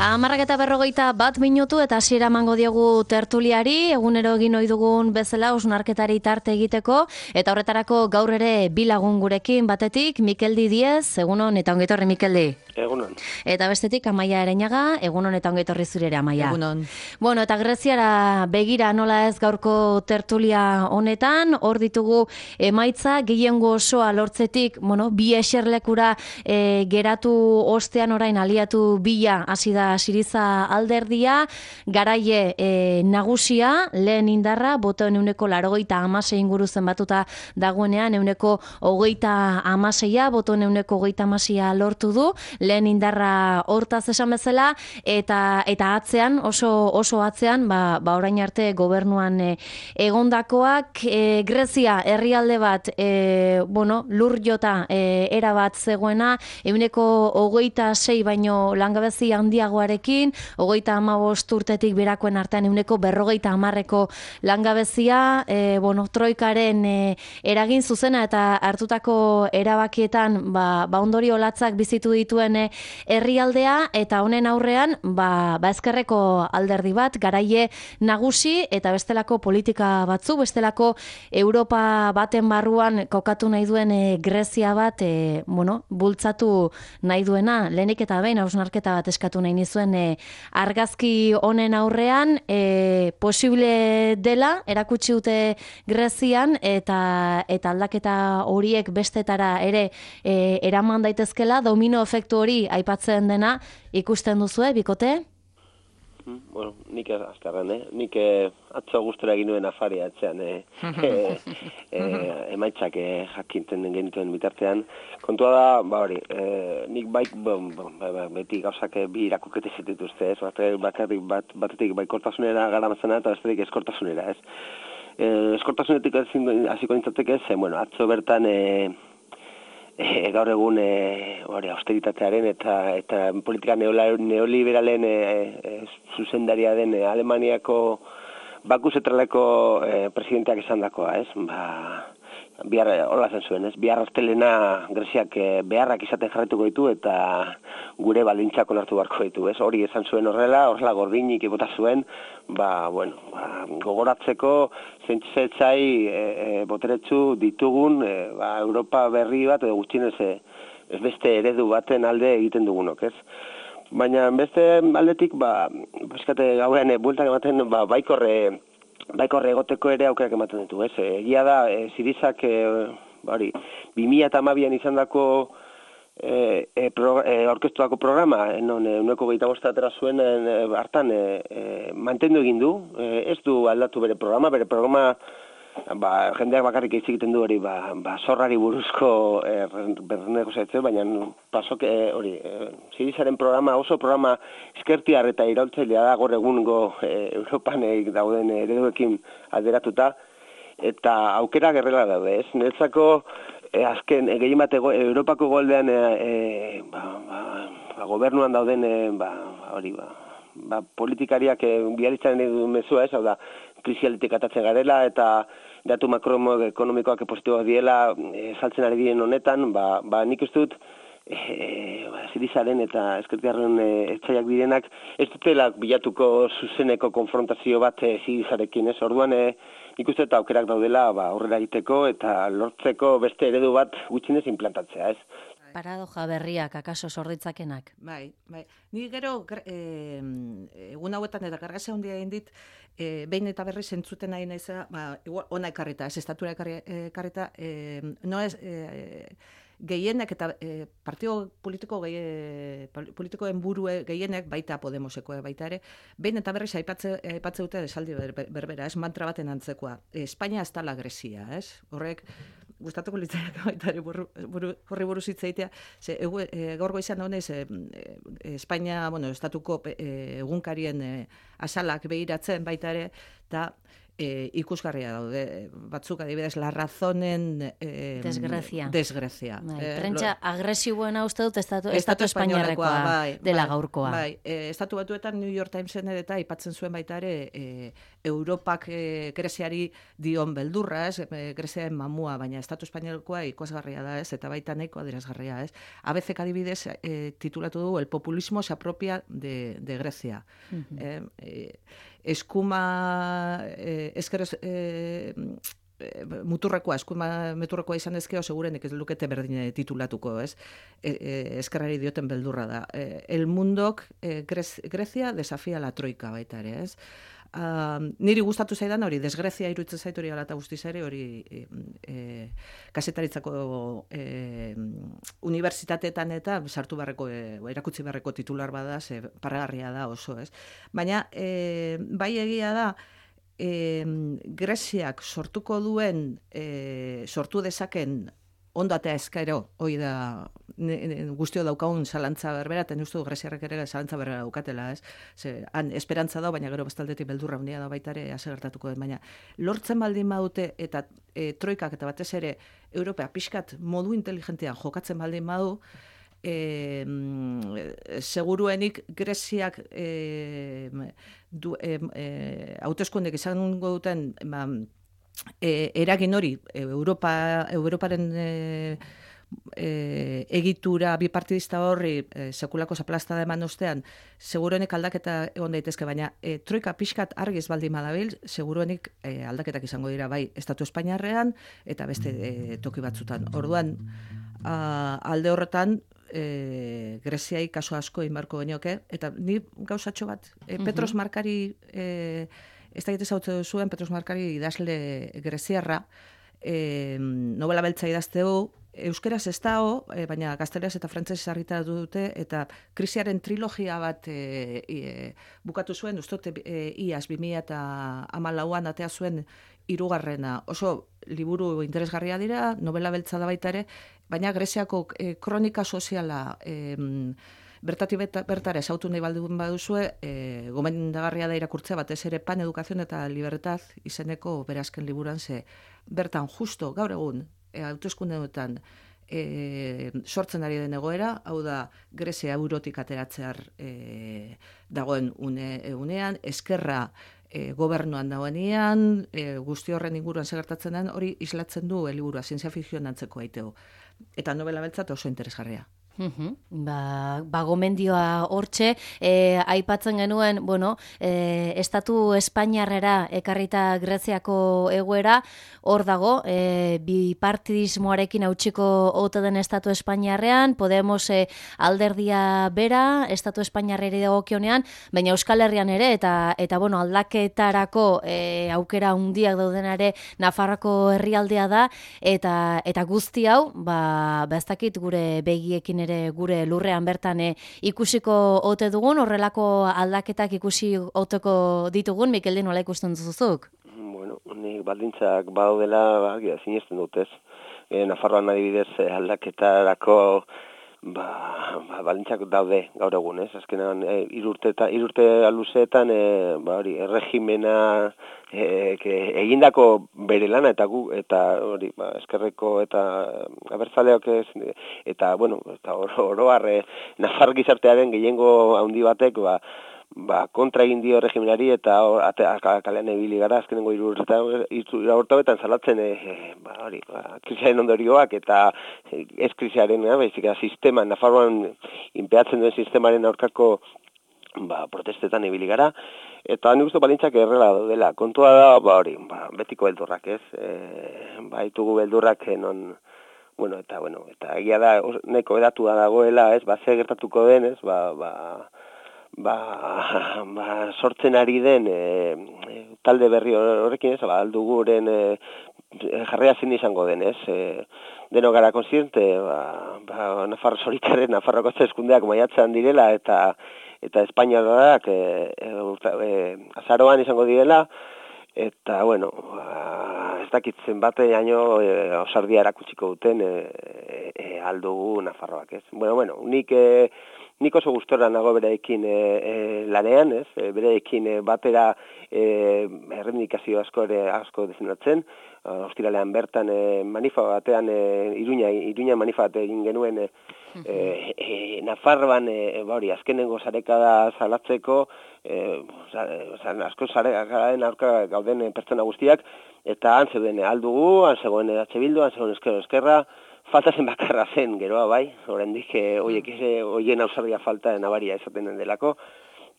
11:41 eta hasiera emango diogu tertuliari, egunero egin ohi dugun bezala hausnarketari tarte egiteko, eta horretarako gaur ere bi lagun gurekin, batetik Mikeldi Diez, egunon eta ongi etorri Mikeldi. Egunon. Eta bestetik Amaia Ereñaga, egunon eta ongi etorri zure ere Amaia. Egunon. Bueno, eta Greziara begira nola ez gaurko tertulia honetan, hor ditugu emaitza gehiengo osoa lortzetik, bi eserlekura geratu ostean orain aliatu bila hasi da Siriza alderdia, garaie nagusia, lehen indarra, botoen 86 inguru zenbatuta dagoenean, 26, botoen 26 lortu du, lehen indarra hortaz esan bezala, eta atzean, oso atzean, orain arte gobernuan egondakoak, Grezia herrialde bat, lur jota erabat zegoena, 26 baino langabezi handiagoarekin, 35 urtetik berakoen artean 50% langabezia, troikaren eragin zuzena eta hartutako erabakietan ondorio latzak bizitu dituen herrialdea, eta honen aurrean ezkerreko alderdi bat, garaie nagusi eta bestelako politika batzu, bestelako Europa baten barruan kokatu nahi duen Grezia bat bultzatu nahi duena. Lehenik eta behin hausnarketa bat eskatu nahi nizuen argazki honen aurrean, posible dela erakutsi dute Grezian, eta aldaketa horiek bestetara ere eraman daitezkela, domino efektu hori aipatzen dena ikusten duzue, bikote? Bueno, nik azkarren, nik atzo gustora egin nuen afaria atzean, emaitzak jakinten genituen bitartean. Kontua da, nik beti gauzak bi irakukete zituzte, batetik baikortasunera garamatzena eta bestetik eskortasunera, ez? Eskortasunetik hasiko nintzateke, atzo bertan gaur egun austeritatearen eta politika neoliberalen zuzendaria den Alemaniako Baku zentraleko presidenteak esan dakoa, ez? Hola zen zuen, ez? Bihar astelena Greziak beharrak izaten jarrituko ditu eta gure baldintzak onartu beharko ditu, ez? Hori esan zuen horrela gordinik bota zuen, gogoratzeko zentzetzai boteretsu ditugun Europa berri bat edo gutxienez ez beste eredu baten alde egiten dugunok, ez? Baina beste aldetik, gauean bueltak ematen baikorre egoteko ere aukerak ematen ditu, ez? Egia da, Sirizak 2012an izandako orkestuako programa, non 25 atera zuen hartan mantendu egin du, ez du aldatu bere programa, jendeak bakarrik hitz egiten du hori, zorrari buruzko bernegoziatze, baina pasok hori, Sirizaren programa, oso programa eskertiar eta iraultzailea da gaur egungo Europan dauden ereduekin alderatuta, eta aukera gerrela daude, ez? Niretzako azken gehien bat Europako goldean gobernuan dauden politikariak biharitzaren edu mezua, ez? Hau da, krisialetik atatzen garela eta datu makroekonomikoak positiboak diela saltzen ari diren honetan, nik ez dut Sirizaren eta eskertiarren etxaiak direnak ez dutela bilatuko zuzeneko konfrontazio bat Sirizarekin, ez? Orduan nik uste eta aukerak daudela aurrera egiteko eta lortzeko beste eredu bat gutxienez implantatzea, ez? Paradoja berriak, akaso sorditzakenak. Bai. Ni gero, egun hauetan eta gargazia handia egin dit, behin eta berriz entzuten nahi nahiza, ona ekarrita, ez estatura ekarrita, no ez... gehienek eta partio politikoen burue gehienek, baita Podemoseko baita ere, behin eta berriz aipatze dute esaldi berbera, ez mantra baten antzekoa. Espainia ez dala Grezia, ez? Horrek, gustatuko litzaiak baita ere horri buruz hitz egitea, gaur goizean daunez Espainia, estatuko egunkarien azalak behiratzen baita ere, eta ikusgarria daude. Batzuk adibidez, la razonen desgrezia. Prentsa agresiboena uste dut estatu espainiarrekoa dela gaurkoa. Bai, estatu batuetan New York Timesen eta aipatzen zuen baita ere Europak Greziari dion beldurra, Greziaren mamua, baina estatu espainiarrekoa ikusgarria da, eta baita nahiko adierazgarria, ABCek adibidez titulatu du El populismo se apropia de Grecia. Eskuma muturrekoa, eskuma muturrekoa izan ezkeo, segurenik ez lukete berdine titulatuko, eskerrari dioten beldurra da. El mundok Grecia desafia la troika baita ere, niri gustatu zaidan hori, desgrezia iruditzen zait hori ala eta guztiz ere, hori kazetaritzako unibertsitateetan eta sartu barreko, erakutsi barreko titular bada, paragarria da oso, Baina, bai egia da, Greziak sortuko duen, sortu dezaken ondatea eskaero, hoi da guztio daukagun zalantza berbera, eta uste du Greziarrek ere zalantza berbera daukatela, han esperantza da, baina gero bestaldetik beldurra handia da baita ere gertatuko den, baina lortzen baldin badute eta troikak eta batez ere Europea pixkat modu inteligentean jokatzen baldin badu, seguruenik Greziak hauteskundek izango duten eragin hori Europaren egitura bipartidista horri sekulako zaplastada eman ostean, seguruenik aldaketa egon daitezke, baina troika pixkat argiz baldin badabil, seguruenik aldaketak izango dira bai Estatu Espainiarrean eta beste toki batzutan. Orduan, alde horretan, Greziai kaso asko inbarko genioke, eta ni gauzatxo bat, Petros Markari, ez da egitez hau zuen, Petros Markari idazle greziarra, novela beltza idazteu, euskeraz ez dago, baina gazteleraz eta frantzesez argitaratu dute, eta krisiaren trilogia bat bukatu zuen, ustote iaz 2014an atea zuen hirugarrena. Oso liburu interesgarria dira, novela beltza da baita ere, baina Greziako kronika soziala bertatik bertara esautu nahi baldun baduzue, gomendagarria da irakurtzea batez ere Pan, Educación eta Libertad izeneko berazken liburan bertan justo gaur egun hauteskundeetan sortzen ari den egoera, hau da Grezia eurotik ateratzear dagoen unean, eskerra gobernuan dagoenean, guzti horren inguruan segertatzen den, hori islatzen du liburua, zientzia fikzioan antzeko aiteo. Eta novela beltzat oso interesgarria. Gomendioa hortxe, aipatzen genuen, Estatu Espainiarrera ekarrita Greziako egoera, hor dago, bipartidismoarekin hautsiko ote den Estatu Espainiarrean, Podemos alderdia bera, Estatu Espainiarreri dagokionean, baina Euskal Herrian ere, eta aldaketarako aukera handiak daudenare Nafarroako herrialdea da, eta guzti hau, ez dakit gure begiekin ere gure lurrean bertan ikusiko ote dugun, horrelako aldaketak ikusi oteko ditugun, Mikeldi, nola ikusten duzuzuk? Nik baldintzak badaudela sinesten dut, Nafarroan adibidez aldaketarako baldintzak daude gaur egun, azkenean irurte luzeetan erregimena egindako bere lana eta hori eskerreko eta abertzaleak eta oroar Nafar gizartearen gehiengo handi batek kontra egin dio regimenari eta kalean ibili gara azkenengo 3 urteetan salatzen krisiaren ondorioak eta ez krisiaren, baizik sistema Nafarroan inpeatzen duen sistemaren aurkako protestetan ibili gara, eta nik uste balintzak errela daudela. Kontua da, betiko beldurrak, baitugu beldurrak non, eta egia da, neko edatu da dagoela, ze gertatuko den, sortzen ari den talde berri horrekin, alduguren jarrea zein izango den, deno gara konsiente, Nafarro zoritaren, Nafarroko eskundeak maiatzean direla, eta Espainiarrak azaroan izango direla, eta, ez dakit zenbateaino osardia erakutsiko duten aldugu Nafarroak, ez? Bueno, nik oso gustora nago bereekin lanean, ez? Bereekin batera errendikazio asko defendatzen. Ostiralean bertan manifa batean, Iruña manifa bat egin genuen Nafarroan, azkenengo sarekada salatzeko, asko sarekadaren aurka gauden pertsona guztiak, eta han zeuden aldugu, han zegoen H. Bildu, han zegoen Eskerra, falta zen bakarra zen, geroa bai, oraindik hoien ausardia falta nabaria esaten den delako.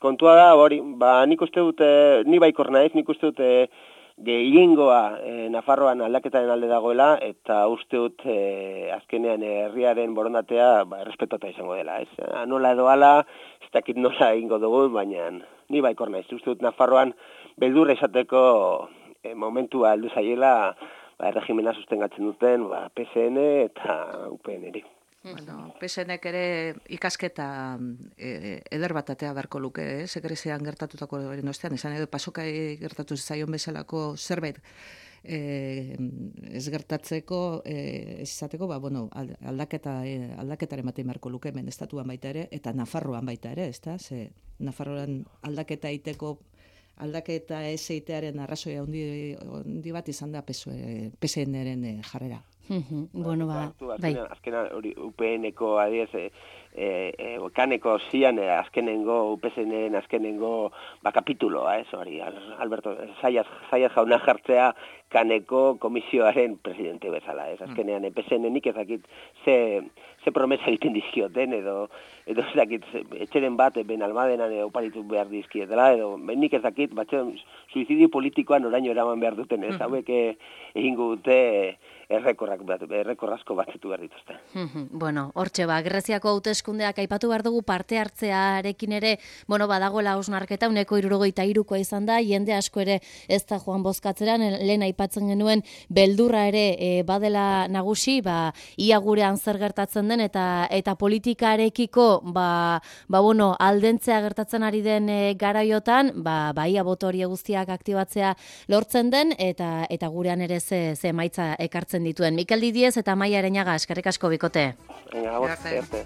Kontua da, nik uste dut, ni baikor naiz, nik uste dut gehiengoa Nafarroan aldaketaren alde dagoela, eta uste dut azkenean herriaren borondatea errespetata izango dela. Nola edo ala, ez dakit nola egingo dugu, baina ni baikor naiz. Uste dut Nafarroan beldurra izateko momentua heldu zaiela, erregimena sustengatzen duten PSN eta UPN-eri. Bueno, PSNek ere ikasketa eder bat atea beharko luke, Sekrezian gertatutako ostean, esan edo pasokai gertatu zaion bezalako zerbait ez gertatzeko, ez izateko, aldaketaren batean beharko luke hemen estatuan baita ere, eta Nafarroan baita ere, ezta? Ze Nafarroan aldaketa ez egitearen arrazoia handi bat izan da PSN-eren jarrera. Bueno, bai. Azkena hori UPN-eko adiez, kaneko zian azkenengo, UPSN-en azkenengo kapituloa, hori, Alberto, Zayas jauna jartzea kaneko komisioaren presidente bezala, azkenean PSN-nik ezakit ze promesa egiten dizkioten, edo ezakit etxeren bat ben almadenan oparitu behar dizkietela, edo nik ezakit batzen suizidio politikoan oraino eraman behar duten, hauek egingo dute errekorrazko batzetu behar dituzte. Bueno, hortxe Greziako hauteskundeak aipatu behar dugu parte hartzearekin ere, badagoela hausnarketa, 73koa izan da, jende asko ere ez da joan bozkatzeran, lehen aipatzen genuen beldurra ere badela nagusi, ia gurean zer gertatzen den, eta politikarekiko, aldentzea gertatzen ari den garaiotan, ia boto hori guztiak aktibatzea lortzen den, eta gurean ere ze emaitza ekartzen dituen. Mikel Didiez eta Amaia Ereñaga, eskerrik asko bikote. Venga,